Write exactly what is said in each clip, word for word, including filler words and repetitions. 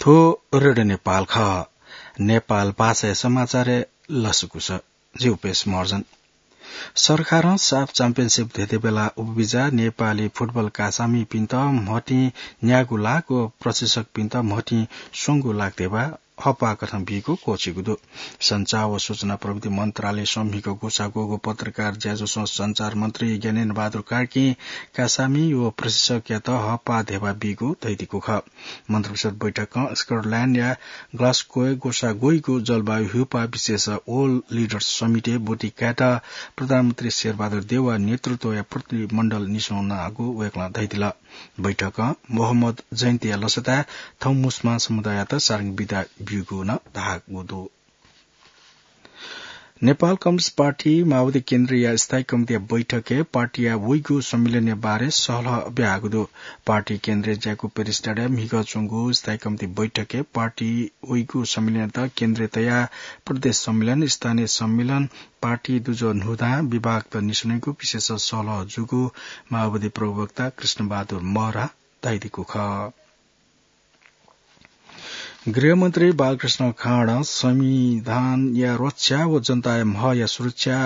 थ्व रेडियो नेपाल खः। नेपाल भाषाया समाचारय् लसकुस। जि उपेश महर्जन। सरकारं साफ च्याम्पियनसिप धेंधेंबेला उपबिजा नेपाली फुटबल कासामिपिन्त म्हतिं न्यागू लाख व प्रशिक्षकपिन्त म्हतिं स्वंगू लाख धेबा हप्पा कथं बीगु क्वःछिगु दु। सञ्चार व सूचना प्रविधि मन्त्रालयं म्हिगः ग्वसाः ग्वःगु पत्रकार ज्याझ्वलय् सञ्चार मन्त्री ज्ञानेन्द्र बहादुर कार्कीं कासामि व प्रशिक्षकयात हप्पा धेबा बीगु धयादीगु खः। मन्त्रिपरिषद बैठकं स्कटल्याण्डया ग्लासगोय् ग्वसाः ग्वइगु जलवायु ह्यूपाः विशेष वर्ल्ड लिडर्स समिटय् ब्वति कायेत प्रधानमन्त्री शेरबहादुर देउवाया नेतृत्वया प्रतिनिधिमण्डल निस्वनागु वय्कलं धयादिल। बैठकं मोहम्मद जयन्तीया लसताय् थौं मुस्लिम समुदाययात सारंग बिदा ब्यूगु नं धाःगु दु। नेपाल कम्युनिस्ट पार्टी माओवादी केन्द्रया स्थायी कमिटीया बैठकय् पार्टीया वइगु सम्मेलनया बारे सहलह ब्याहाःगु दु। पार्टी केन्द्रय् ज्याकू पेरिस डाँडाय् म्हिगः च्वंगु स्थायी कमिटी बैठकय् पार्टी वइगु सम्मेलनयात केन्द्रय् तयाः प्रदेश सम्मेलन, स्थानीय सम्मेलन, पार्टी दुजः न्हूदँ, विभागत निस्वनेगु विशेष सहलह जूगु माओवादी प्रवक्ता कृष्णबहादुर महरां धयादीगु खः। गृहमन्त्री बालकृष्ण खाँडं संविधानया रक्षा व जनताया म्हया सुरक्षा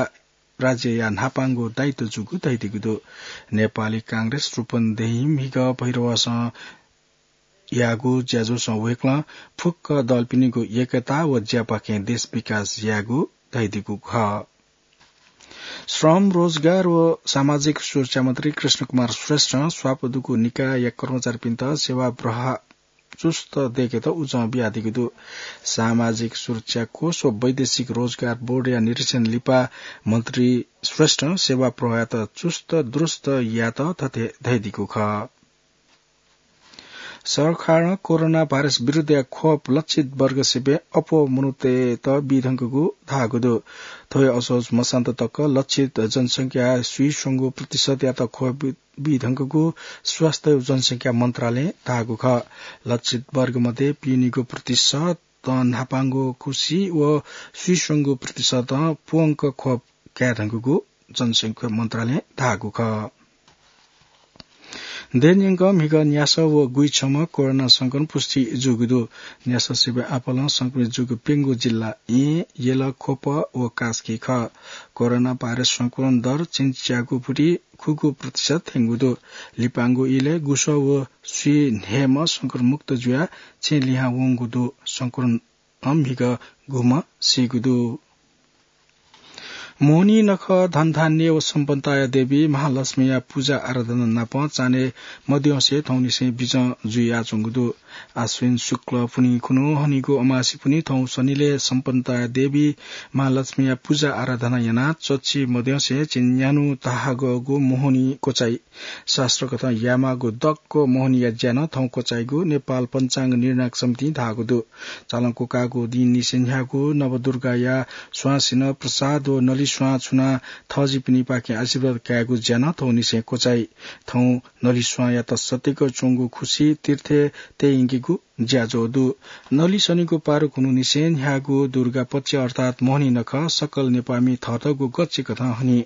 राज्यया न्हापांगु दायित्व जूगु धयादीगु दु। नेपाली कांग्रेस रूपन्देही म्हिगः भैरवसं याःगु ज्याझ्वलय् वय्कलं फुक्क दलपिनिगु एकता व ज्यापाखें देश विकास यायेगु धयादीगु खः। श्रम, रोजगार व सामाजिक सुरक्षा मन्त्री कृष्ण कुमार श्रेष्ठं स्वापू दुगु निकायया कर्मचारीपिन्त सेवा प्रवाह चुस्त दयेकेत उजं बियादीगु दु। सामाजिक सुरक्षा कोष व वैदेशिक रोजगार बोर्डया निरीक्षण लिपा मन्त्री श्रेष्ठं सेवा प्रवाहयात चुस्त दुरुस्त यायेत थथे धयादीगु खः। सरकारं कोरोना भाइरस विरुद्धया खोप लक्षित वर्ग सिबें अप्वः मनूतय्त बीधुंकूगु धाःगु दु। थ्व हे असोज मसान्त तक लक्षित जनसंख्याया स्वीस्वंगू प्रतिशतयात खोप बी-, बीधुंकूगु स्वास्थ्य व जनसंख्या मन्त्रालयं धाःगु खः। लक्षित वर्ग मध्ये पीनिगू प्रतिशतं न्हापांगु खुसि व स्वीस्वंगू प्रतिशतं प्वंक खोप कायेधुंकूगु जनसंख्या मन्त्रालयं धाःगु खः। देय् न्यंकं म्हिगः न्यासः व गुइछम्ह कोरोना संक्रमण पुष्टि जूगु दु। न्यासः सिबें आपालं संक्रमित जूगु प्यंगू जिल्ला येँ, यल, ख्वप व कास्की खः। कोरोना भाइरस संक्रमण दर च्यन्च्यागू पुटी खुगू प्रतिशत थ्यंगु दु। लिपांगु इलय् गुसः व स्वीन्हय्म्ह संक्रमण मुक्त जुयाः छेँ लिहां वंगु दु। संक्रमण म्हिगः गुम्ह सीगु दु। मोहनी नखः धनधान्य व सम्पन्नताया देवी महालक्ष्मीया पुजा आराधना नाप चान्हय् मद्यंसे थौंनिसें बिजं जुयाच्वंगु दु। आश्विन शुक्ल पुन्हि खुन्हु हनीगु अमासि पुन्हि थौं सनिलय् सम्पन्नताया देवी महालक्ष्मीया पुजा आराधना यानाः चच्छि मद्यंसे झिंन्यान्हु धाःगु मोहनी क्वचाइ। शास्त्रकथं यायेमाःगु दक्व मोहनीया ज्या नं थौं क्वचाइगु नेपाल पञ्चाङ्ग निर्णायक समितिं धाःगु दु। चालं क्वकाःगु दिंनिसें न्ह्याःगु नवदुर्गाया स्वांसिनं प्रसाद व नलिस्वां छुनाः थःजिपिनिपाखें आशीर्वाद कायेगु ज्या नं थौंनिसें क्वचाइ। थौं नलिस्वांयात सत्तैक च्वंगु खुसि तीर्थय् तयेयंकेगु ज्याझ्वः दु। नलिसनिगु पारु खुन्हुनिसें न्ह्याःगु दुर्गा पक्ष अर्थात् मोहनी नखः सकल नेपाःमि थःतःगु गच्छि कथं हनी।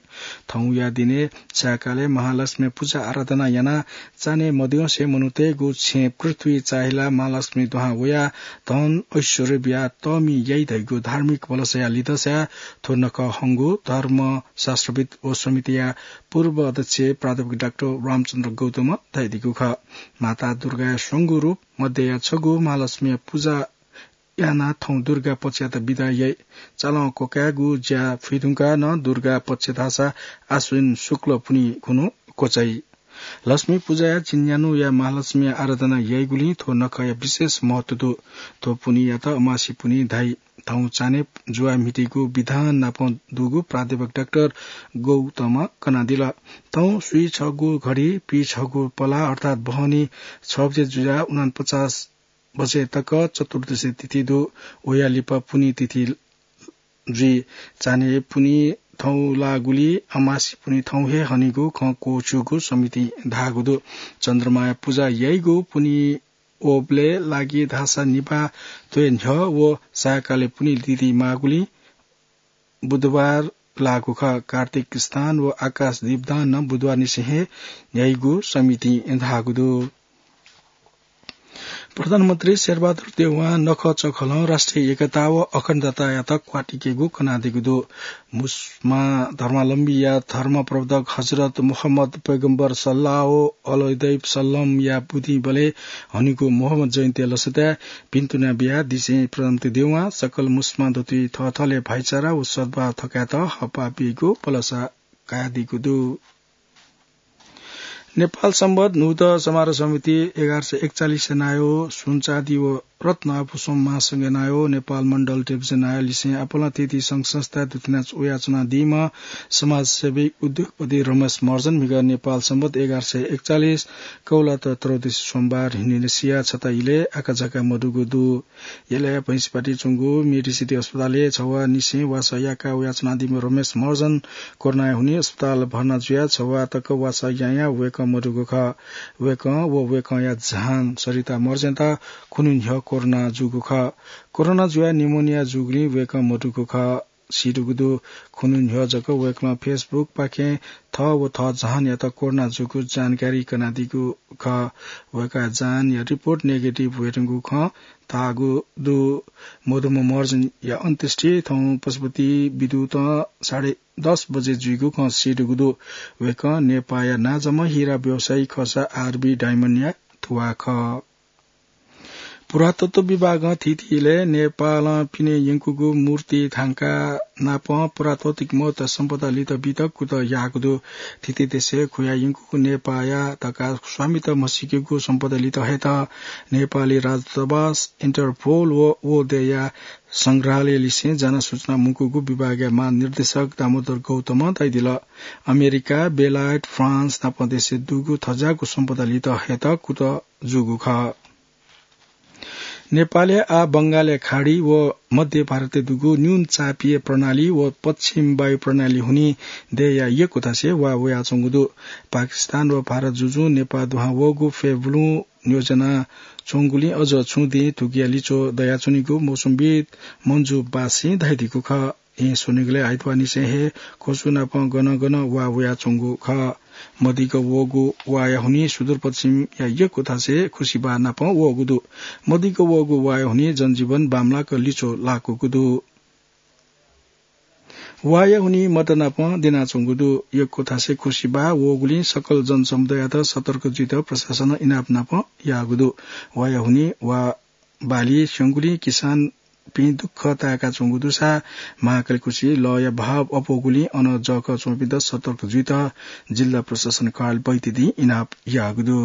थौंया दिनय् सायंकालय् महालक्ष्मी पुजा आराधना यानाः चान्हय् मद्यंसे मनूतय्गु छेँ पृथ्वी चाहिलाः महालक्ष्मी दुहां वयाः धन ऐश्वर्य बियाः तःमि याइ धइगु धार्मिक भलसाया लिधंसाया थ्व नखः हंगु धर्मशास्त्रविद् व समितिया पूर्व अध्यक्ष प्राध्यापक डाक्टर रामचन्द्र गौतमं धयादीगु खः। माता दुर्गाया स्वंगू रूप मध्यया छगू महालक्ष्मीया पुजा यानाः थौं दुर्गा पक्षयात बिदा याइ। चालं क्वकायेगु ज्या फुइधुंकाः नं दुर्गा पक्ष धाःसा आश्विन शुक्ल पुन्हि खुन्हु क्वचाइ। लक्ष्मी पुजाया झिंन्यान्हुया महालक्ष्मीया आराधना याइगुलिं थ्व नखःया विशेष महत्व दु। थ्व पुन्हियात अमासि पुन्हि धाइ। थौं चान्हय् जुवा म्हितीगु विधान नाप दुगु प्राध्यापक डाक्टर गौतमं कनादिल। थौं स्वीछगू घडी, पीछगू पला अर्थात् बहनी छ बजे जुयाः उनापचास बजे तक चतुर्दशी तिथि दु। वया लिपा पुन्हि तिथि जुइ। चान्हय् पुन्हि थौं लाःगुलिं अमासि पुन्हि थौं हे हनीगु खँ क्वःछिउगु समितिं धाःगु दु। चन्द्रमाया पुजा याइगु पुन्हि वःबलय् लागि धाःसा निभाः त्वय् न्ह्यः व सायंकालय् पुन्हि तिथि माःगुलिं बुधबार लाःगु खः। कार्तिक स्नान व आकाश दीपदान नं बुधबारनिसें हे याइगु समितिं धाःगु दु। प्रधानमन्त्री शेरबहादुर देउवां नखःचखलं राष्ट्रिय एकता व अखण्डतायात क्वातिकेगु कनादीगु दु। मुस्लिम धर्मावलम्बीया धर्म प्रवर्तक हजरत मोहम्मद पैगम्बर सल्लाह अलैहि वसल्लमया बुदिंबलय् हनीगु मोहम्मद जयन्ती लसताय् भिन्तुना बियाः दिसें प्रधानमन्त्री देउवां सकल मुस्लिम दथुइ थःथःले भाइचारा व सद्भाव थकायेत हःपाः बीगु भलसा कयादीगु दु। नेपाल संवत न्हूदँ समारोह समिति एघार सय एकचालिस नायः सुनचाँदी व रत्न आभूषण महासंघ नायः नेपाल मण्डल डिभिजन नायः लिसें आपालं थीथी संघ संस्था दुथ्याना वयाच्वनादीम्ह समाजसेवी उद्योगपति रमेश महर्जन म्हिगः नेपाल संवत एघार सय एकचालिस कौलात त्रयोदशी सोमबार न्हिनसिया छता इलय् आकाझाका मदुगु दु। यलया भैंसीपाटी च्वंगु मेडिसिटी अस्पतालय् छवाः निसें वासः याका वयाच्वनादीम्ह रमेश महर्जन कोरोनाया हुनिं अस्पताल भर्ना जुयाः छवाः तक वासः यायां वय्कः मदुगु खः। वय्कः व वय्कःया जहान सरिता महर्जनयात खुन्हु न्ह्यः कोरोना जूगु खः। कोरोना जुयाः निमोनिया जूगुलिं वय्कः मदुगु खः। सीदुगु दु। खुन्हु न्ह्यः जक वय्कलं Facebook पाखें थः व थः जहानयात कोरोना जूगु जानकारी कनादीगु खः। वय्कःया जहानया रिपोर्ट नेगेटिभ वयेधुंगु खँ धाःगु दु। मदुम्ह महर्जनया अन्त्येष्टि थौं पशुपति विद्युतं साढे दस बजे जुइगु खँ सीदुगु दु। वय्कः नेपाःया नांजाम्ह हिरा व्यवसायी खःसा आरबी डायमन्डया थुवाः खः। पुरातत्व विभागं थीथी इलय् नेपालं पिने यंकूगु मूर्ति थांका नाप पुरातात्विक महत्व सम्पदा लित बीत कुतः याःगु दु। थीथी देशय् खुया यंकूगु नेपाःया धकाः स्वामित्व म्हसीकेगु सम्पदा लित हयेत नेपाली राजदूतावास, इन्टरपोल व व देय्‌या संग्रहालय लिसें जाना सूचना मुंकूगु विभागया महानिर्देशक दामोदर गौतमं धयादिल। अमेरिका, बेलायत, फ्रान्स नाप देशय् दुगु थज्याःगु सम्पदा लित हयेत कुतः जूगु खः। नेपालय् आः बंगालया खाडी व मध्य भारतय् दुगु न्यून चापीय प्रणाली व पश्चिम वायु प्रणाली हुनिं देय्‌या यक्व थासय् वा वयाच्वंगु दु। पाकिस्तान व भारत जुजुं नेपाः दुहां वःगु फय् बुलुं न्योजना च्वंगुलिं अझ छुं दिं धुकुया लिच्वः दयाच्वनीगु मौसमविद् मन्जु बासीं धयादीगु खः। येँ स्वनिगलय् आइतवारनिसें हे ख्वसु नाप गन गन वा वयाच्वंगु खः। मदिक्क वःगु वाया हुनिं सुदूरपश्चिमया यक्व थासय् खुसिबाः नाप वःगु दु। मदिक्क वःगु वाया हुनिं जनजीवन बांमलाक लिच्वः लाकूगु दु। वाया हुनिं मत नाप द्यनाच्वंगु दु। यक्व थासय् खुसिबाः वःगुलिं सकल जनसमुदाययात सतर्क जुइत प्रशासनं इनाप नाप याःगु दु। वाया हुनिं वा बाली स्यंगुलिं किसानपिं दुःख ताय्‌काच्वंगु दुसा महाकाली खुसि लःया भाव अप्वःगुलिं अन जःखः च्वंपिन्त सतर्क जुइत जिल्ला प्रशासन कार्यालयं बैतडी इनाप याःगु दु।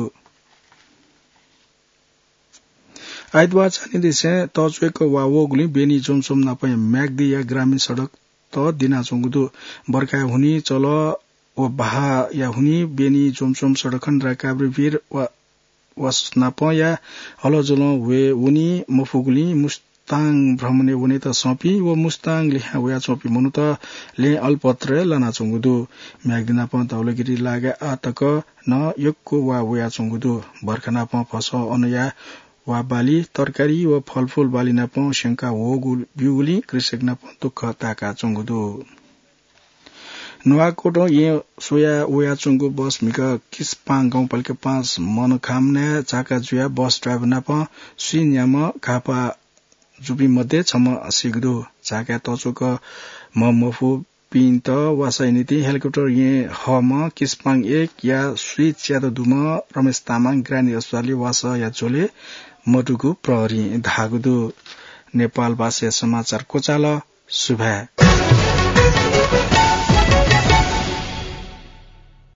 आइतवार चान्हिदेशय् तःच्वय्‌क वा वःगुलिं बेनी जोमसोम नापया म्याग्दीया ग्रामीण सडकत द्यनाच्वंगु दु। बर्खाया हुनिं चलः व बहाःया हुनिं बेनी जोमसोम सडक खण्ड काभ्रेभिर वा वस नापया हलजलं वये वनी मफुगुलिं मुस्ताङ भ्रमणय् वनेत सःपिं व मुस्ताङ लिहां वयाच्वंपिं मनूत लँय् अलपत्रय् लानाच्वंगु दु। म्याग्दी नाप धौलागिरी लागाय् आः तक नं यक्व वा वयाच्वंगु दु। बर्खा नाप भसः अनया वा बाली, तरकारी व फलफुल बाली नाप स्यंका वःगु ब्यूगुलिं कृषक नाप दुःख ताय्‌काच्वंगु दु। नुवाकोटं येँ स्वया वयाच्वंगु बस म्हिगः किसपाङ गाउँपालिका पाँच मनखामनाय् झाका जुयाः बस ड्राइभर नाप स्वीन्याम्ह घाःपाः जूपिं मध्ये छम्ह सीगु दु। झाकाय् तःच्वय्‌क म्ह मफुपिन्त वासःया निंतिं हेलिकप्टर येँ हःम्ह किसपाङ एकया स्वीच्यादँ दुम्ह रमेश तामाङ ग्रामीण अस्पतालय् वासःया झ्वलय् मदुगु प्रहरीं धाःगु दु। नेपाल भाषाया समाचार क्वचाल। सुभाय्।